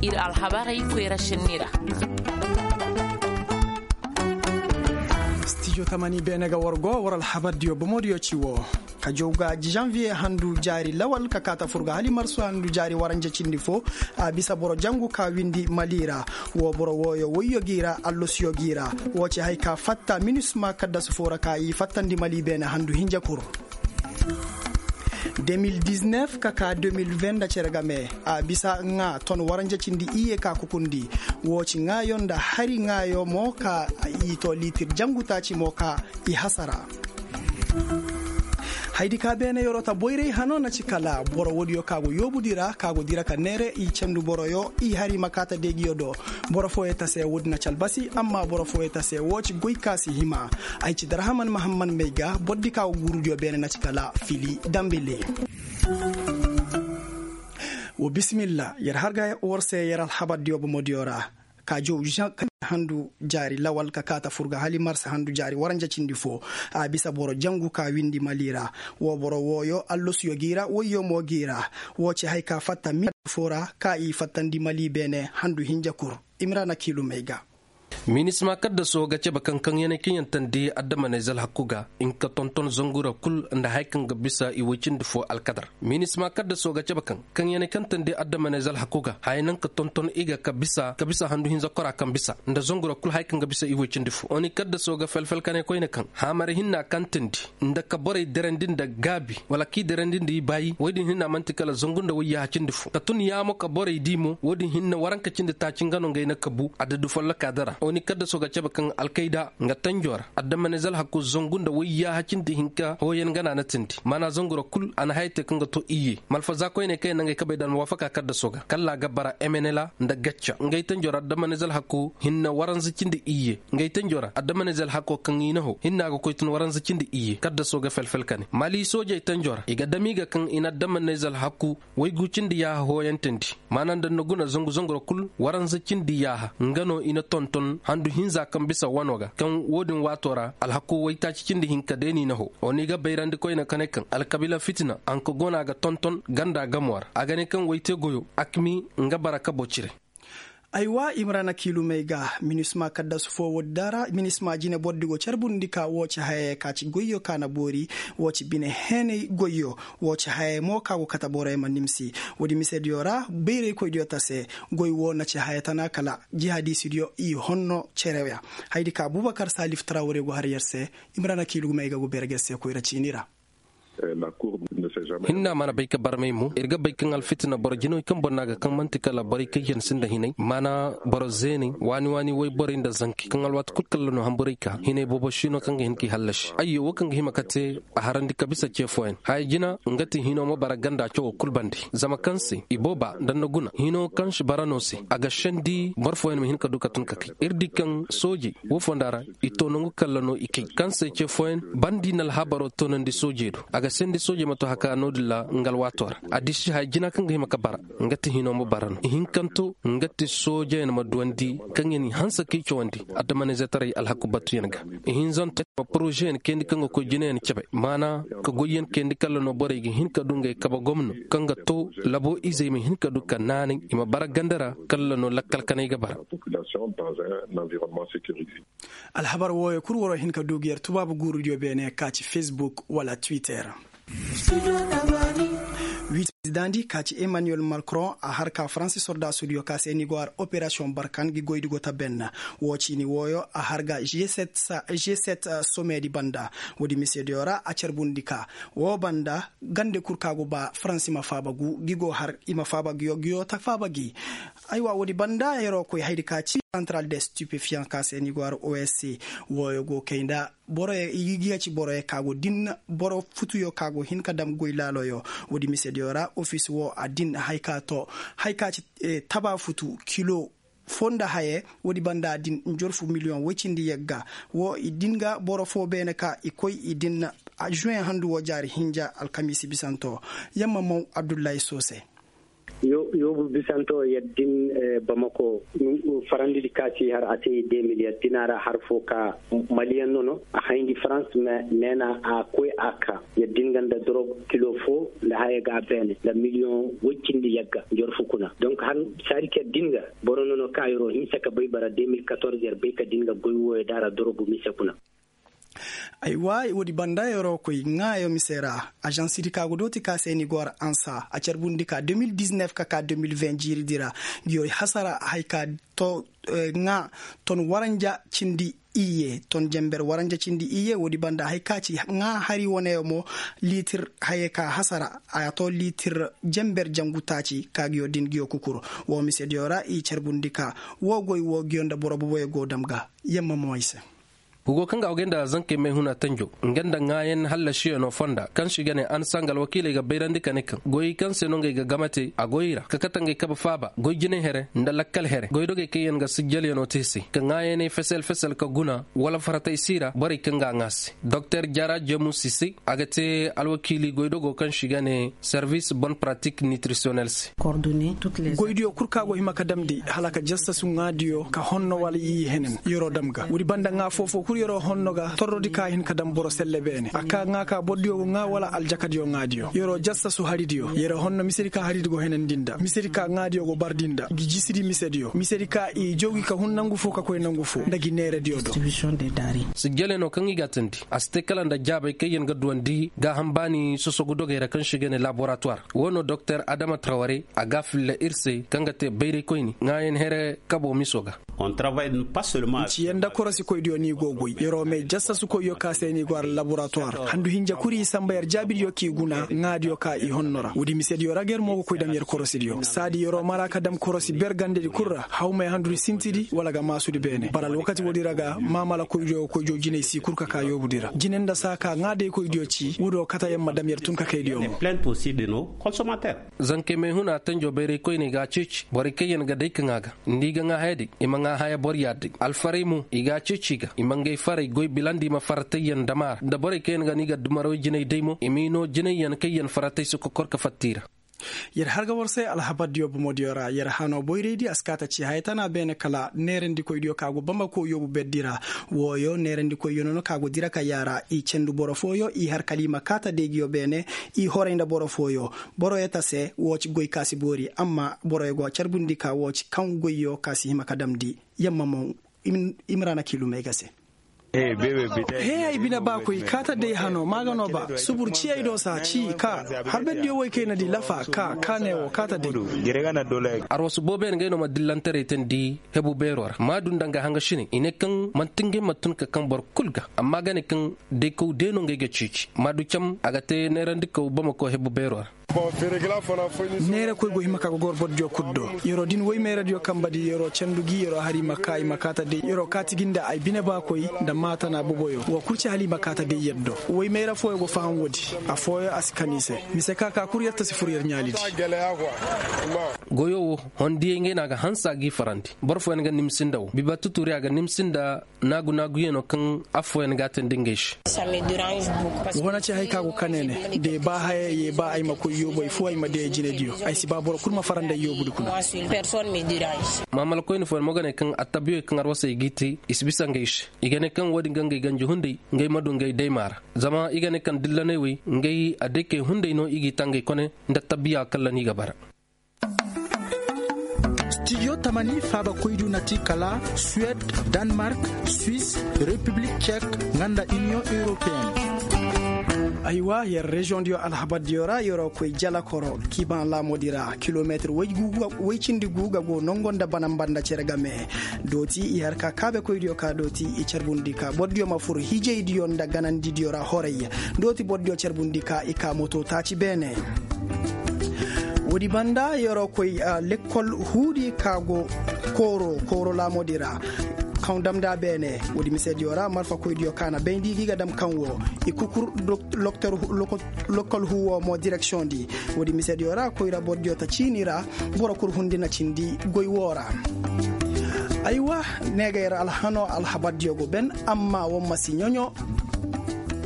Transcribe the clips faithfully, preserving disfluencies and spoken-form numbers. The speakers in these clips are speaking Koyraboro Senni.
Ir alhabarey koyra šenni ra. Stijo tamani beene ga war go war alhabardiyo bomodiyo ci wo. Ka jaw ga janviye handu jaari lawal ka kaata fur ga hali marsu handu jaari waranja cindi fo. A bisa boro jangu ka windi mali ra. Wo boro wooyo woyyo gi ra allosiyo gi ra. Wo ci hay ka fatta minisma kaddasu fo ra ka i fattandi mali beene handu hinja kur. De mil diznef ka ka de mil ven nda cere game. A bisa ŋaa ton waranja cindi iyye ka kukundi. Wo ci ŋaayo nda hari ŋaayo mo ka i to litir jangu taaci mo ka i hasara. Haydi ka beene yorota boyray hano na ci kala boro woodiyo ka go yoobudi ra ka go dira ka neere i cendu boroyo i hari ma kaata deegiyo do. Boro fooyo ta se woodi na ci albasi amma boro fooyo ta se wo ci goy ka si hima. Ay ci darahaman mahamman may ga bordi ka go guurudiyo beene na ci kala fili dambili. Wo bisimilla yer har ga war se yer alhabardiyo bomodiyo ra. Ka jow handu jaari lawal ka kaata fur ga hali marsa handu jaari waranja cindi fo. A bisa boro jangu ka windi mali ra. Wo boro wooyo allosiyo gi ra woyyo mo gi ra. Wo ci hay ka fatta mil fo ra ka i fattandi mali beene handu hinja kur. Imrana kiilumey ga. Minisma kaddaso ga cebe kaŋ kaŋ ya na kaŋ yaŋ tandi addamaney zalhaku ga. Hinka tonton zangura kul nda haya kaŋ ga bisa i woy cindi fo alkadar. Minisma kaddaso ga cebe kaŋ kaŋ ya na kaŋ tandi addamaney zalhaku ga haya naŋ ka tonton i ga ka bisa handu hinza kora kaŋ bisa nda zangura kul haya kaŋ ga bisa i woy cindi fo oni kaddaso ga felfel ka ne koyne kaŋ haamare hinna kaŋ tandi nda ka borey derandi nda gaabi wala k'i derandi nda i baayi woy din hinna man'ti kala zangu nda woy yaaha cindi fo ka tun yaamo ka borey di mo woy din hinna waranka cindi taaci nga no ngey na kabu adadu folloka dara oni kaddaso ga cebe kaŋ alkayda nga tanjo ra addamaney zalhaku zangu nda woy yaaha cindi hinka hooyaŋ gana na tindi maana zangu ra kul a na haya te kaŋ ga to iyye malfaza koyney kaŋ yaŋ na ngey kabey da almuwaafaka kaddaso ga kalla a ga bara emenela nda gacca ngey tanjo ra addamaney zalhaku hinna waranza cindi iyye ngey tanjo ra addamaney zalhako kaŋ i na ho hinna a ga koy tun waranza cindi iyye kaddaso ga felfel ka ne mali soojey tanjo ra i ga dam i ga kaŋ i na addamaney zalhaku waygu cindi yaaha hooyantandi maana nda ni na guna zangu zangu ra kul waranza cindi yaaha nga no i na tonton handu hinza kaŋ bisa wano ga kaŋ wo-din waato ra alhaku waytaaci cindi hinka day no i na ho wo no i ga bayrandi koyne ka ne kaŋ alkabiila fitina hanka go no a ga tonton ganda gamo ra a ga ne kaŋ wayte goyo akmi nga bara kabo cire. Aywa imrana kiilumey ga minisma kaddasu fo woodi da ra minisma jine bordi go carbundi ka wo ci hayey ka ci goyyo ka na boori wo ci bine heenay goyyo wo ci hayey mo ka go kate borey ma nimsi. Woodi misediyo ra bayraykoydiyo ta se goy wo na ci haya tana kala jihadisidiyo i honno cereya. Haydi ka abubakar salif tarawre go har yer se. Imrana kiilumey ga go beere ga yer se koyra ciini ra. Hinna mana bay ka barmay mo ir ga bay kaŋ alfitina boro jinawey kaŋ boro no a ga kaŋ man'ti kala borey kaŋ yaŋ sinda hinay maana boro zeeney waani waani woy borey nda zanki kaŋ alwaati kul kalla no hamburay ka hinay boobo si no kaŋ ga hin k'i hallasi ayyo wo kaŋ ga hima ka te a harandi ka bisa ce fooyaŋ haya jina nga ti hino ma bara ganda cawo kul bande zama kaŋ se i booba nda ni na guna hino kaŋ si bara no se a ga sendi boro fooyaŋ ma hin ka du ka tun ka kay ir di kaŋ soojey wo fonda ra i to nangu kalla no i kay kaŋ se ce fooyaŋ bandi na alhabaro toonandi soojey do a ga sendi soojey ma to haka no-din ra nga alwaato ra a disi haya jina kaŋ ga hima ka bara nga ti hino ma bara no ihinkanto nga ti soojeyaŋ ma duwandi kaŋ yaŋ i hanse k'i cawandi adamaniizetaray alhaku batuyaŋ ga ihinzanto ma porozeyaŋ kayandi kaŋ ga koy jinayaŋ cabe maana ka goyyaŋ kayandi kalla no borey ga hin ka du ngey kabe gomno kaŋ ga to labo izey ma hin ka du ka naanay i ma bara ganda ra kalla no lakkal kanay ga bara. Alhabar wooyo kul waroo hin ka du ga yer tubaabu guurudiyo beene ka ci facebook wala twitter. Wiiti prezidandi ka ci emmanuel macron a har ka faransi sordaasudiyo ka se ni go har operasiyoŋ barkan gi goydi go ta benna. Woo ciini wooyo a har ga g sept somedi banda. Woodi misediyo ra a carbundi ka woo banda gande kul ka go ba faransi ma faaba gu gi go har i ma faaba gi yo gi yo ta faaba gi. Aywa woodi banda yeroo koy haydi ka ci santaral de stipefiyaŋ ka se ni go har osc. Wooyo go kay nda boroyo i ga ci boroyo ka go din boro futuyo ka go hin ka dam goy laaloyo. Woodi misediyo ra ofis woo a din hay ka to hay ka ci taba futu kilo foo nda haye. Woodi banda a din njorfu miliyoŋ woy cindi yagga. Woo i din ga boro foo beene ka i koy i din juwen handu woo jaari hinja alkamiisi bisanto. Yamma maw abdullahi soose. Yoobu bisanto yer din, bamako farandi di ka si har a te de mil yer din a ra har fo ka maliyan nono a hayndi farans. Neena a koy a ka yer din ga nda dorog kilo fo nda haya ga a beene nda miliyoŋ woy cindi yagga nda yer fu kuna donk har saadi ka yer din ga boro nono ka yer'o hinsa ka bay bara de mil katorze yer bay ka din ga goy wooyo da a ra dorogu mise kuna. Aywa, woodi banda yer'o koy ŋaayo mise ra. Ažansidi ka go dooti ka se ni go har ansa a carbundi ka de mil diznef ka ka de mil ven jiiridi ra. Ngi yoy hasara hay ka to ŋaa ton waranja cindi iyye ton jenber waranja cindi iyye woodi banda hay ka ci ŋaa hari wane mo liitir haye ka hasara a to liitir jenber jangu taaci ka ngi yo din ngi yo kukuru. Wo misediyo ra i carbundi ka wo goy wo ngi yo nda boro boboyo go dam ga. Yamma mo ay se. Hugo kaŋ ga a go gay nda zankey may huna tanjo nga nda ŋaayan hallasiyano fonda kaŋ se i ga ne ansa nga alwakiiley ga bayrandi ka ne kaŋ goyey kaŋ se no ngey ga game te a goyey ra ka kate ngey kabe faaba goy jinay here nda lakkal here goydogey kaŋ yaŋ ga sijjalyanoo te se ka ŋaayaney fesel fesel ka guna wala faratay si ra borey kaŋ ga a ŋaa se. Doktor jara jemusi se a ga te alwakiili goydogo kaŋ se i ga ne servis bon pratik nitrisiyonel se. Goydiyo kul kaŋ a go hima ka damndi hala ka jassasu ŋaadiyo ka honno wala i henen yer'o dam ga woodi banda ŋaa foofo kul yer'o honno ga torrodi ka hin ka dam boro selle beene a ka ŋaa ka bordiyo go ŋaa wala aljakadiyo ŋaadiyo yer'o jassasu haridiyo yer'o honno misedi ka haridi go henandi nda misedi ka ŋaadiyo go bardi nda ngi jisidi misediyo misedi ka i joogi ka hun nangu fo ka koy nangu fo nda ngi neerediyo do. Sijjale no kaŋ i ga a teendi a si te kala nda jaabay kaŋ yaŋ ga duwandi gaaham baani sosogu dogey ra kaŋ se i ga ne laboratuwar. Wo no doktor adama traware a ga a filla ir se kaŋ ga te bayraykoyni ŋaayan here kabo miso ga. Nci yer nda korosikoydiyo no i go goy yer'o may jassasukoyyo ka se no i go har laboratuwar handu hinja kul i samba yer jaabidiyo k'i guna ŋaadiyo ka i honno ra woodi misediyo ra ga yer mo ga koy dam yer korosidiyo saadi yer'o mara ka dam korosi ber gandedi kul ra hawmay handudi sintidi wala ga maasudi beene bara alwakati woodi ra ga maamalakoydiyo ga koy joo jinay si kul ka ka yoobudi ra jine nda saa ka ŋaadaykoydiyo ci woodiyo kate yer ma dam yer tun ka kaydiyo mo. Zankey may huna tanjo bayraykoyney ga a ceeci borey kaŋ yaŋ ga day ka ŋaa ga nda i ga ŋaa haya day i ma ŋaa haya boro yaada day alfarey mo i ga a ceeci i ga i ma ngey farey goy bilandi i ma faratayyaŋ dam a ra nda borey kaŋ yaŋ ga no i ga dumarawey jinay day mo i m'i noo jinayyaŋ kaŋ yaŋ faratay si kokor ka fatta i ra. Yer har ga war se alhabardiyo bomodiyo ra yer hano boyraydi a si kaa ta ci haya tana beene kala neerandikoydiyo kaŋ a go bambako yoobu berdi ra. Wooyo neerandikoyyo no no kaŋ a go dira ka yaara i candu boro fooyo i har kala i ma kaa ta deegiyo beene i horay nda boro fooyo. Boroyo ta se woo ci goy ka si boori amma boroyo go carbundi ka woo ci kaŋ goyyo ka si hima ka damndi. Yamma mo imrana kiilumey ga se. He ay bine ba koy kaa ta day hano maa ga no ba subur ciyey do saa ci kaa harberdiyo woy kay na di lafa kaa kaa ne woo kaa ta day. Arwasu boobo yaŋ ngey no ma dillantaray teendi hebu beeroo ra maadu nda nga hangasiney i ne kaŋ man'ti ngey ma tun ka kaŋ boro kul ga amma ga ne kaŋ daykow de no ngey ga ciici maadu cam a ga te neerandikaw bamako hebu beeroo ra. Neerakoy go hima ka ga goro bordiyo kul do. Yer'o din woy meeradiyo kamba di yer'o candu gi yer'o har i ma kaa i ma kaa ta day yer'o kaati gi nda ay bine baakoy nda maatana boboyo woo kul ci hala i ma kaa ta day yer do. Woy meera fooyo go faham woodi. Afooyo a si kan i se. Mise ka ka kul yer ta si fur yer ɲaalidi. Goyo wo hondiyey ngey no a ga hanse a g'i farandi boro fooyaŋ ga nimsi nda wo biba tuturi a ga nimsi nda naagu-naaguyanoo kaŋ affooyaŋ ga a teendi ngey se. Wo na ci hay ka go kane ne da i ba haya ye ba ay ma koy yoobu ay fo ay ma day ay jinediyo ay si ba boro kul ma farandi ay yoobudi kuna. Maamalakoyni fooyaŋ mo ga ne kaŋ attabiyoy kaŋ arwasey g'i te i si bisa ngey se. I ga ne kaŋ wo-din ga ngey ganji hunday ngey ma du ngey daymaa ra. Zama i ga ne kaŋ dillaney wey ngey adaykey hunday no i g'i ta ngey kone nda attabiya kalla no i ga bara. Stidiyo tamani faabakoydu na ti kala suwed, danmark, swis, repiblik cek, nga nda iniyoŋ europeen. Aywa yer reziyoŋdiyo alhabardiyo ra yer'o koy jalakoro kiibaŋ laamoodi ra kilometir woy cindi gu ga go nongo nda banamba nda cere game. Dooti i har ka kaabekoydiyo ka dooti i carbundi ka bordiyo ma fur hijaydiyo nda ganandidiyo ra horay. Dooti bordiyo carbundi ka i ka moto taaci beene. Woodi banda yer'o koy lekkol huudi ka go kooro kooro laamoodi ra. Kaŋ damndi a beene woodi misediyo ra marfakoydiyo ka na bayndi gi ga dam kaŋ wo i kukur lokol huu wo mo direksiyoŋ di. Woodi misediyo ra koyra bordiyo ta ciini ra. Boro kul hundi na cindi goy woo ra. Aywa, ne ga yer alhano alhabardiyo go ben amma wo ma si ɲoɲo.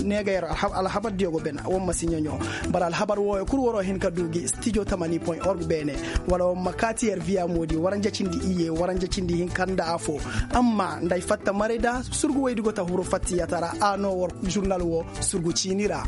Ne ga yer alhabar diyo go ben war ma si ɲaɲo. Boro alhabar wooyo kul waroo hin ka du gi stijo tamani point org beene. Wala war ma kaati yer viya moodi waranja cindi iyye waranja cindi hinka nda afo. Amma nda ay fatta maray da surgu woydi go ta huru fattiyata ra a no war žurnal woo surgu ciini ra.